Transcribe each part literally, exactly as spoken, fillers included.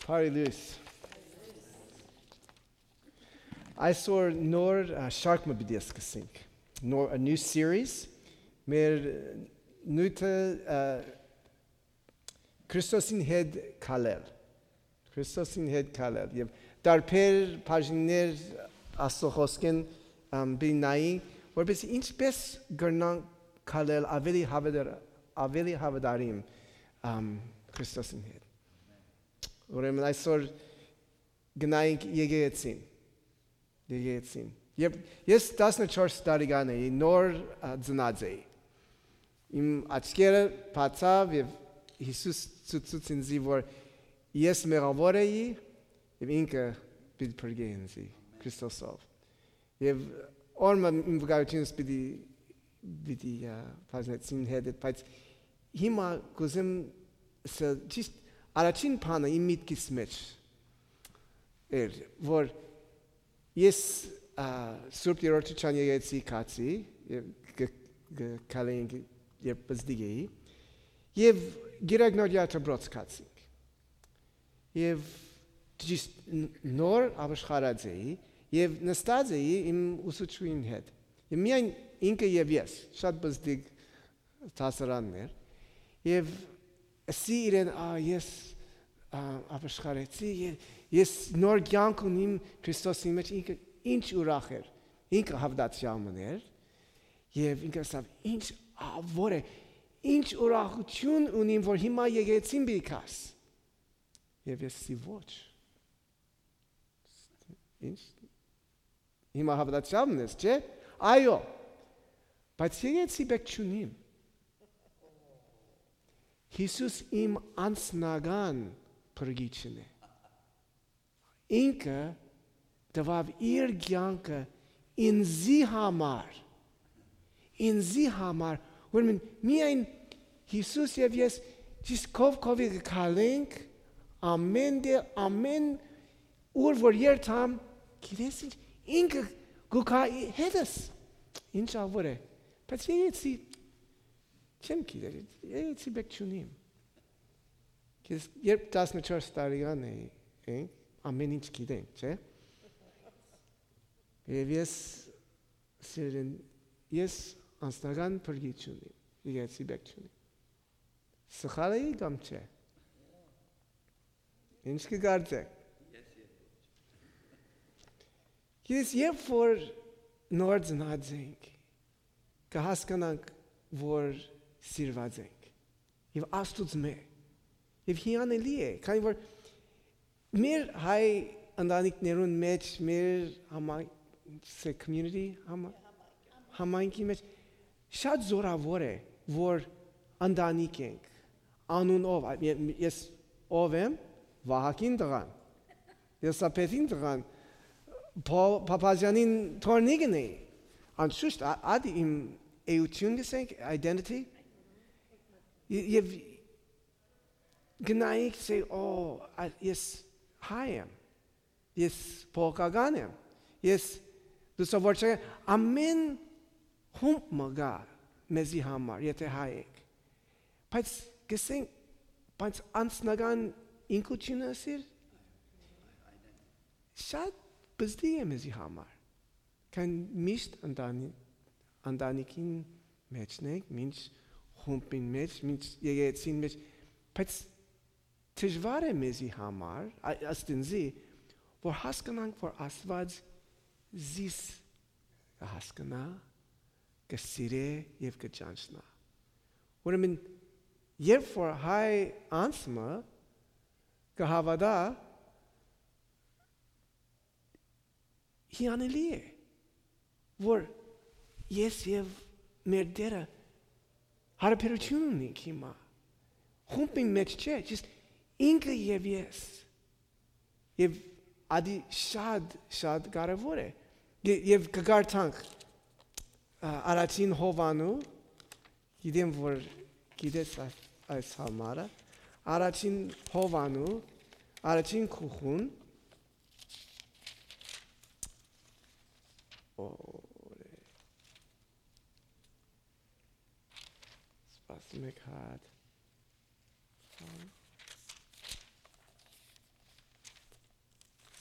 Բարի լոյս։ Այսօր նոր, ա, շարք մը պիտի սկսենք։ Նոր, a new series։ Մեր, ը, նիւթը, ա, Քրիստոսին հետ քալել։ Քրիստոսին հետ քալել։ Եւ տարբեր բաժիններ Աստուծոյ խօսքէն, ամ, պիտի նայենք, որպեսզի ինչպես կրնանք քալել ավելի հաւատար-, ավելի հաւատարիմ, ամ, Քրիստոսին հետ։ Ուրեմն այսօր կը նայենք եկեղեցին։ Եկեղեցին։ Երբ ես տասնչորս տարեկան էի, նոր, ա, ծնած էի։ Իմ աչքերը բացաւ եւ Յիսուս ցուցուց ինձի, որ ես մեղաւոր էի եւ ինքը պիտի փրկէ ինձի Քրիստոսով։ Եւ օրը մը իմ վկայութիւնս պիտի, պիտի, ա, բաժնեցին հետ, բայց հիմա կ'ուզեմ ըսել, ճիշդ առաջին բանը իմ միտքիս մէջ էր, որ ես, ա, Սուրբ Երրորդի Չան եկեղեցի գացի, եւ կը, կը քալենք, երբ պզտիկ էի, եւ Կիրակ Նոր Յարդաբրոց գացինք։ Եւ ճիշդ ն-, նոր ապաշխարած էի, եւ նստած էի իմ ուսուցչուհին հետ։ Եւ միայն ինքը եւ ես, շատ պզտիկ դասարաններ, եւ ըսի իրեն, «Ա, ես, ա, ապաշխարեցի, ե-, ես նոր կեանք ունիմ Քրիստոսի մեջ», ինքը ինչ ուրախ էր, ինքը հաւատացեալ մըն էր, եւ ինքը ըսաւ, «Ինչ ա, որ է, ինչ ուրախութիւն ունիմ, որ հիմա եկեղեցին պիտի գաս»։ Եւ ես ըսի, «Ոչ»։ Ինչ, հիմա հաւատացեալ մըն ես, չէ՞։ Այո, բայց եկեղեցի պէտք չունիմ։ Յիսուս իմ անձնական փրկիչն է։ Ինքը տուաւ իր կեանքը ինձի համար, ինձի համար, ուրեմն միայն Յիսուս եւ ես ճիշդ քով քովի կը քալենք, ամէն տեղ, ամէն ուր որ երթամ, գիտես ինչ, ինքը կու գայ հետս, ինչ ա որ է, բայց եկեցի, չեմ գիտեր, եկեցի պէտք չունիմ։ Ես երբ տասնչորս տարեկան էի, էինք, ամէն ինչ գիտենք, չէ՞։ Եւ ես սիրելին, ես անձնական փրկիչ չունիմ, եկեղեցի պէտք չունիմ։ Սխալ էի կամ չէ։ Ինչ կը կարծէք։ Ես երբ որ նոր ծնած ենք, կը հասկանանք, որ սիրված ենք։ Եւ Աստուծմէ։ Եւ հիանալի է, քանի որ մեր հայ ընտանիքներուն մեջ, մեր համայ-, community, համայնքի մեջ շատ զօրաւոր է, որ ընտանիք ենք, անուն ով, ա, ե-, ես ով եմ, Վահագին տղան, Եսապեթին տղան, Փա-, Փափազեանին թոռնիկն էի, անշուշտ, ա-, ադի իմ էութիւն կ'ըսենք, identity, ե-, եւ գնայիք, say, «Ո, ա, ես հայ եմ, ես բողոքական եմ, ես լուսավորչական», ամէն խումբ մը կայ մեզի համար, եթե հայ ենք։ Բայց կ'ըսենք, բայց անձնական ինքնութիւնը սիր շատ պզտի է մեզի համար, քան միշտ ընտանի-, ընտանիքին մեջն ենք, մինչ խումբին մեջ, մինչ եկեղեցին մեջ, բայց դժուար է մեզի համար, ա-, ըստ ինձի, որ հասկանանք, որ Աստուած զիս կը հասկնայ, կը սիրէ եւ կը ճանչնայ։ Ուրեմն, երբ որ հայ անձ մը կը հաւատայ, հիանալի է, որ ես եւ մեր Տէրը յարաբերութիւն ունենք հիմա։ Խումբին մեջ չէ, ճիշդ ինքը եւ ես։ Եւ ադի շատ, շատ կարեւոր է։ Ե-, եւ կը կարդանք, ա, առաջին Յովանու, գիտեմ, որ գիտես ա-, այս համարը, առաջին Յովանու, առաջին գլխուն, օրէ, սպասում եք հատ։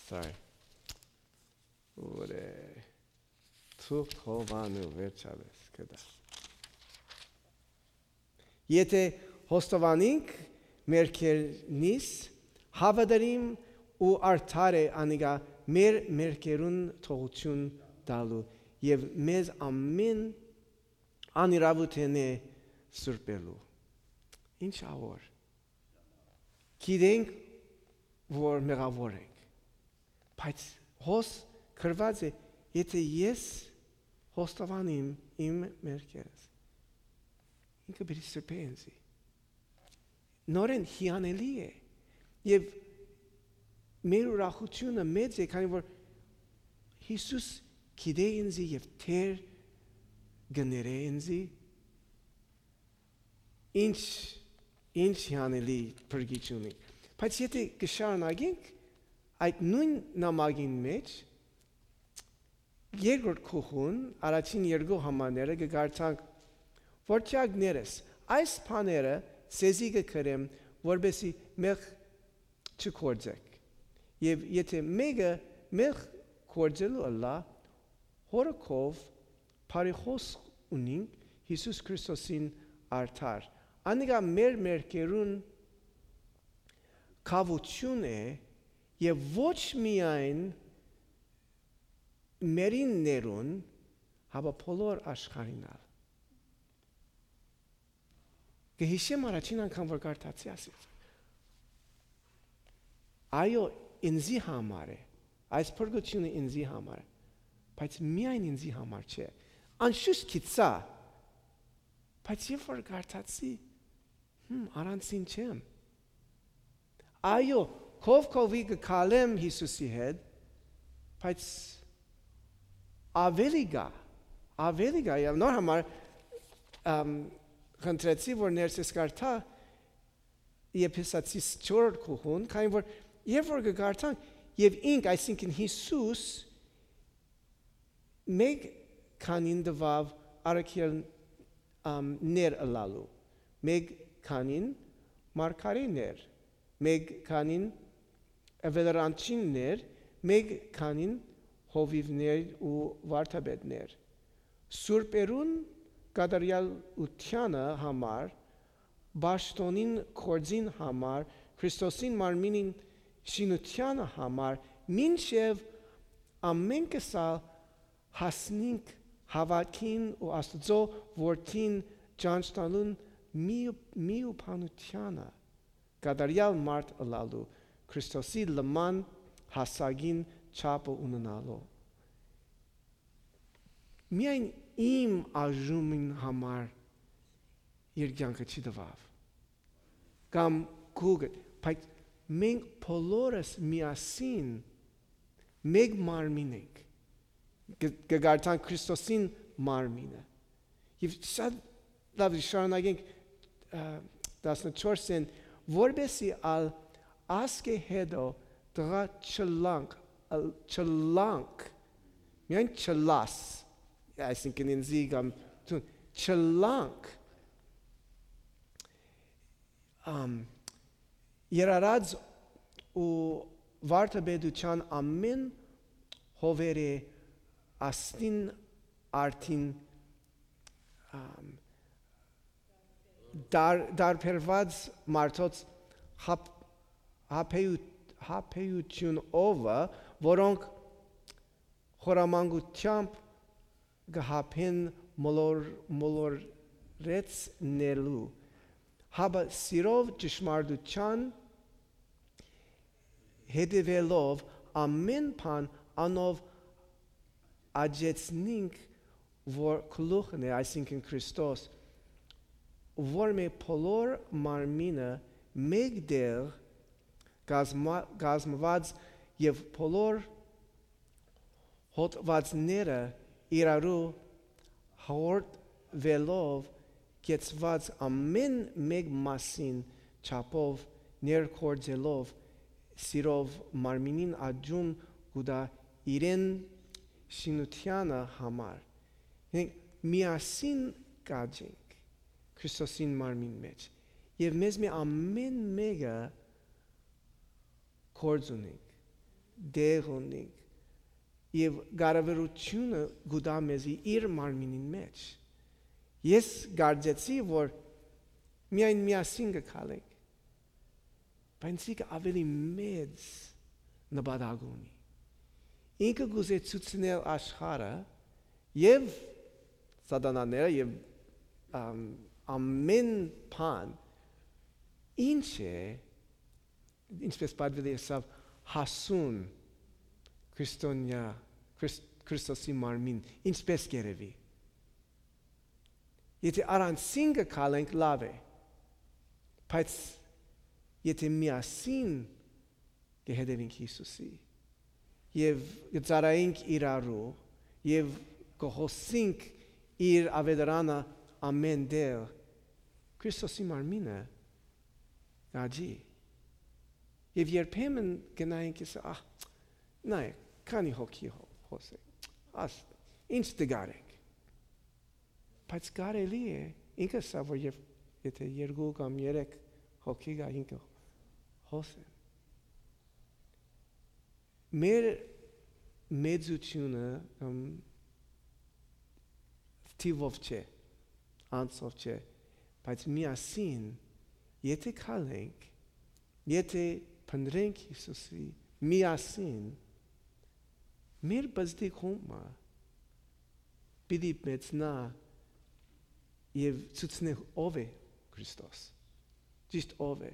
Sorry. Ուրե, թուղթ հովանու վերջապես կտա։ Եթէ խոստովանինք մեր քերնիս, հաւատարիմ ու արդար է անիկա մեր մերքերուն թողութիւն տալու եւ մեզ ամէն անիրաւութենէ սուրբելու։ Ինչ աղոր։ Գիտենք, որ մեղաւոր ենք, բայց հոս գրուած է, եթէ ես խոստովանեմ իմ մերքերս, ինքը պիտի սրբէ ինձի։ Նորէն հիանալի է եւ մեր ուրախութիւնը մեծ է, քանի որ Յիսուս գիտէ ինձի եւ Տէր կը ներէ ինձի։ Ինչ, ինչ հիանալի փրկիչ ունի։ Բայց եթէ կը շարունակենք այդ նոյն նամակին մէջ, երկրորդ գլխուն, առաջին երկու համարները կը կարդանք. «Որդեակներս, այս բաները ձեզի կը գրեմ, որպեսզի մեղք չգործէք։ Եւ եթէ մէկը մեղք գործելու ըլլայ, հօրը քով բարի խօսք ունինք Յիսուս Քրիստոսին արդար։ Անիկա մեր մերքերուն քաւութիւն է եւ ոչ միայն մերիններուն, հապա բոլոր աշխարհին ալ»։ Կը յիշեմ առաջին անգամ որ կարդացի, ասեցի. «Այո, ինձի համար է, այս փրկութիւնը ինձի համար է, բայց միայն ինձի համար չէ»։ Անշուշտ գիտցայ, բայց երբ որ կարդացի, հմ, առանցին չեմ։ Այո, քով քովի կը քալեմ Յիսուսի հետ, բայց աւելի կայ, աւելի կայ, եւ նոր համար, ըմ, խնդրեցի, որ ներսես կարդայ Եփեսացիս չորրորդ գլխուն, քանի որ երբ որ կը կարդանք, եւ ինք, այսինքն Յիսուս, մէկ քանին տուաւ առաքել, ամ, ներ ըլլալու, մէկ քանին մարգարէներ, մէկ քանին աւետարանչիններ, մէկ քանին հովիւներ ու վարդապետներ։ Սուրբերուն կատարեալութեանը համար, պաշտօնին գործին համար, Քրիստոսին մարմինին շինութեանը համար, մինչեւ ամէնքս ալ հասնինք հաւատքին ու Աստուծոյ Որդին ճանչնալուն մի, միաբանութեանը, կատարեալ մարդ ըլլալու, Քրիստոսի լման հասակին չափը ունենալու։ Միայն իմ արժումին համար իր կեանքը չի տուաւ, կամ քուկը, բայց մենք բոլորս միասին մէկ մարմին ենք, կը, կը կարդանք Քրիստոսին մարմինը։ Եւ շատ լավ, շարունակենք, ը, տասնչորսէն, որպեսզի ալ ասկէ հետո տղայ չըլլանք, ըլ-, չըլլանք, միայն չըլլաս, այսինքն ինձի կամ դուն, չըլլանք, ամ, երարած ու վարդապետութեան ամէն հովերէ ասնին արդին, ամ, դար-, դարբերված մարդոց հապ-, հապեյու-, հապեյութիւն ովը, որոնք խորամանկութեամբ կը հապեն մոլոր-, մոլորեցնելու, հապա սիրով ճշմարտութեան հետեւելով ամէն բան անով աջեցնինք, որ գլուխն է, այսինքն Քրիստոս, որ մէ բոլոր մարմինը մէկ տեղ կազմա-, կազմված եւ բոլոր հոդվածները իրարու հաղորդվելով կեցված ամէն մէկ մասին չափով ներգործելով սիրով մարմինին աճում կու տայ իրեն շինութեանը համար։ Մենք միասին կաճենք Քրիստոսին մարմին մէջ եւ մեզ մէ ամէն մէկը գործ ունենք։ Տեղ ունինք եւ կառավարութիւնը կու տայ մեզի իր մարմինին մէջ։ Ես կարծեցի, որ միայն միասին կը քալենք, բայց ինքը աւելի մեծ նպատակ ունի։ Ինքը կ'ուզէ ցուցնել աշխարհը եւ սատանաները եւ, ամ, ամէն բան, ինչ է, ինչպես պատուելի ըսաւ, հասուն քրիստոնեայ, Քրիս-, Քրիստոսի մարմին, ինչպես կ'երեւի։ Եթէ առանցին կը քալենք, լաւ է, բայց եթէ միասին կը հետեւինք Յիսուսի եւ կը ծառայինք իրարու եւ կը հոսինք իր աւետարանը ամէն տեղ, Քրիստոսի մարմինը կ'աճի։ Եւ երբեմն կը նայենք, կ'ըսենք, «Ահ, նայ, քանի հոգի հո-, հոս է, աս, ինչ տկար եք»։ Բայց կարելի է, ինքը սա, որ եւ եթէ երկու կամ երեք հոգի կայ, ինքը հոս է։ Մեր մեծութիւնը, ըմ, թիւով չէ, անձով չէ, բայց միասին, եթէ քալենք, եթէ փնտռենք Յիսուսի միասին, մեր պզտիկ խումբը պիտի մեծնայ եւ ցուցնէ ով է Քրիստոս, ճիշդ ով է։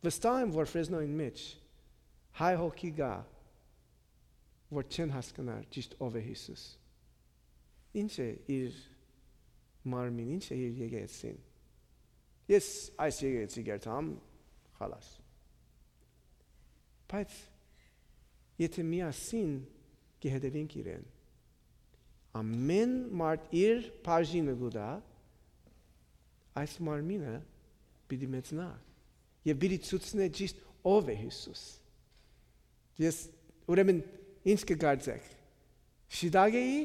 Վստահ եմ, որ Ֆրեզնոյին մէջ հայ հոգի կայ, որ չեն հասկնար ճիշդ ով է Յիսուս։ Ինչ է իր մարմին, ինչ է իր եկեղեցին։ Ես այս եկեղեցի կերտամ, խալաս։ Բայց եթէ միասին կը հետևինք իրեն, ամէն մարդ իր բաժինը կու տայ, այս մարմինը պիտի մեծնայ եւ պիտի ցուցնէ ճիշդ ով է Յիսուս։ Ես, ուրեմն, ինչ կը կարծէք, շիտակ էի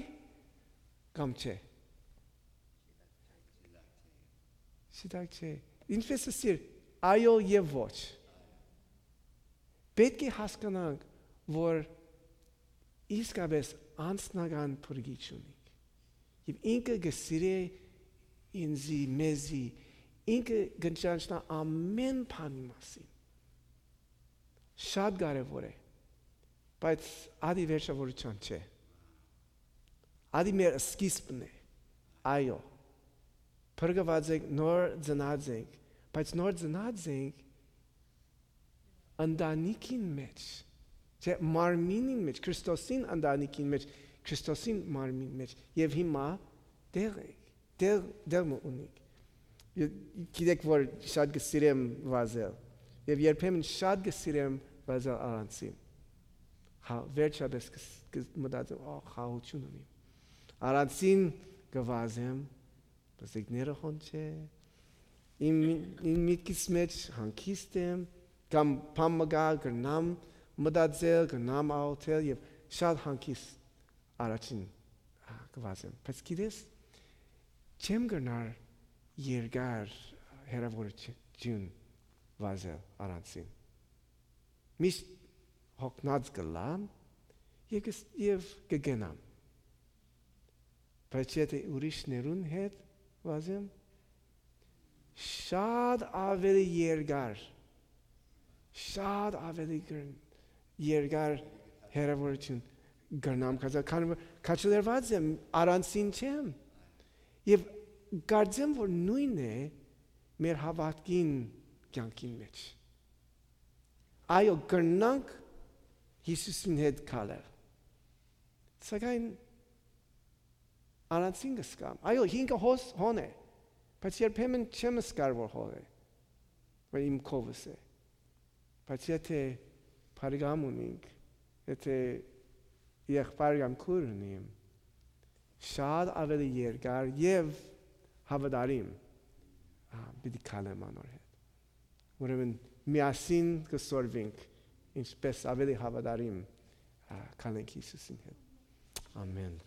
կամ չէ։ Շիտակ չէ։ Ինչպես ըսիր, այո եւ ոչ։ Պէտք է հասկանանք, որ իսկապէս անձնական փրկիչ ունինք։ Եւ ինքը կը սիրէ ինզի, մեզի, ինքը կը ճանչնայ ամէն բանի մասին։ Շատ կարեւոր է, բայց ադի վերջավորութեան չէ։ Ադի մեր սկիզբն է, այո, փրկուած ենք, նոր ծնած ենք, բայց նոր ծնած ենք ընտանիքին մէջ, չէ, մարմինին մէջ, Քրիստոսին ընտանիքին մէջ, Քրիստոսին մարմին մէջ, եւ հիմա տեղ ենք, տեղ, տեղ մը ունենք։ Ե-, գիտեք, որ շատ կը սիրեմ վազել, եւ երբեմն շատ կը սիրեմ վազել առանցին։ Հա, վերջապէս կը ս-, կը մտածեմ, «Ա, խաղաղութիւն ունիմ»։ Առանցին կը վազեմ, պզիկները հոն չէ, իմ, իմ միտքիս մէջ հանգիստ եմ, կամ բան մը կայ, կրնամ մտածել, կրնամ աղօթել եւ շատ հանգիստ առաջին, հա, կը վազեմ։ Բայց գիտես, չեմ կրնար երկար հեռաւորութիւն վազել առանցին։ Միշտ հոգնած կ'ըլլամ եւ կս-, եւ կը գնամ։ Բայց եթէ ուրիշներուն հետ վազեմ, շատ աւելի երկար, շատ աւելի կր-, երկար հեռաւորութիւն կրնամ գնալ, քանի որ քաջալերուած եմ, առանցին չեմ։ Եւ կարծեմ, որ նոյնն է մեր հաւատքին կեանքին մէջ։ Այո, կրնանք Յիսուսին հետ քալել, սակայն առանցին կը զգամ։ Այո, ինքը հոս-, հոն է, բայց երբեմն չեմ զգար, որ հոն է, որ իմ քովս է։ Բայց եթէ բարեկամ ունինք, եթէ եղբայր կամ քույր ունիմ, շատ աւելի երկար եւ հաւատարիմ, ա, պիտի քալեմ անոր հետ։ Ուրեմն միասին կը սորվինք, ինչպես աւելի հաւատարիմ, ա, քալենք Յիսուսին հետ։ Ամեն։